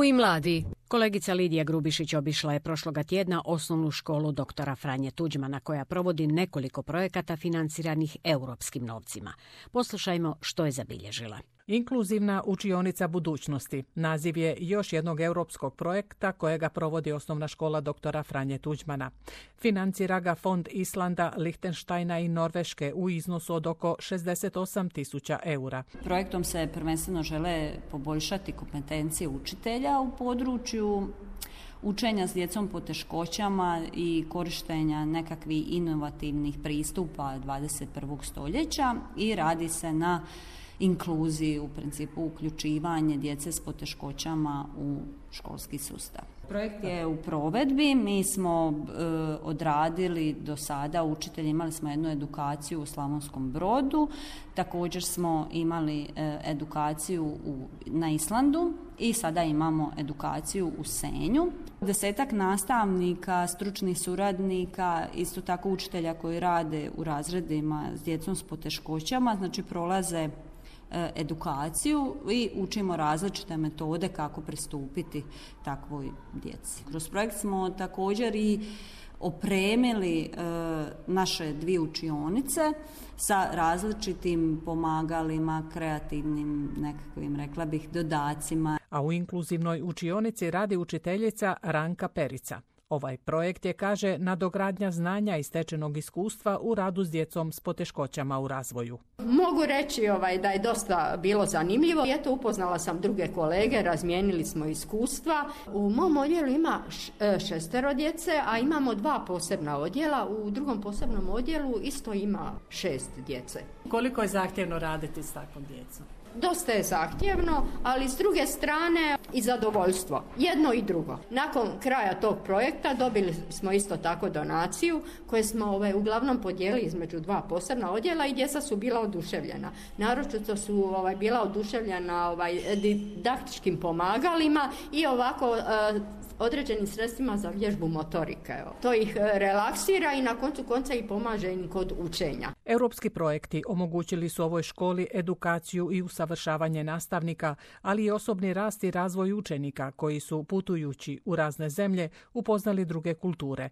Moji mladi. Kolegica Lidija Grubišić obišla je prošloga tjedna osnovnu školu doktora Franje Tuđmana koja provodi nekoliko projekata financiranih europskim novcima. Poslušajmo što je zabilježila. Inkluzivna učionica budućnosti. Naziv je još jednog europskog projekta kojega provodi osnovna škola doktora Franje Tuđmana. Financira ga Fond Islanda, Lihtenštajna i Norveške u iznosu od oko 68.000 eura. Projektom se prvenstveno žele poboljšati kompetencije učitelja u području učenja s djecom poteškoćama i korištenja nekakvih inovativnih pristupa 21. stoljeća i radi se na inkluziji, u principu uključivanje djece s poteškoćama u školski sustav. Projekt je u provedbi, mi smo odradili do sada, učitelji imali smo jednu edukaciju u Slavonskom Brodu, također smo imali edukaciju na Islandu i sada imamo edukaciju u Senju. 10 nastavnika, stručnih suradnika, isto tako učitelja koji rade u razredima s djecom s poteškoćama, znači prolaze edukaciju i učimo različite metode kako pristupiti takvoj djeci. Kroz projekt smo također i opremili naše 2 učionice sa različitim pomagalima, kreativnim nekakvim, rekla bih, dodacima. A u inkluzivnoj učionici radi učiteljica Ranka Perica. Ovaj projekt je, kaže, nadogradnja znanja i stečenog iskustva u radu s djecom s poteškoćama u razvoju. Mogu reći da je dosta bilo zanimljivo. Eto, upoznala sam druge kolege, razmijenili smo iskustva. U mom odjelu ima 6 djece, a imamo 2 posebna odjela. U drugom posebnom odjelu isto ima 6 djece. Koliko je zahtjevno raditi s takvom djecom? Dosta je zahtjevno, ali s druge strane i zadovoljstvo. Jedno i drugo. Nakon kraja tog projekta dobili smo isto tako donaciju koje smo uglavnom podijelili između 2 posebna odjela i djeca su bila oduševljena. Naročito su bila oduševljena didaktičkim pomagalima i ovako određenim sredstvima za vježbu motorike. To ih relaksira i na koncu konca i pomaže im kod učenja. Europski projekti omogućili su ovoj školi edukaciju i usavršavanje nastavnika, ali i osobni rast i razvoj učenika koji su, putujući u razne zemlje, upoznali druge kulture.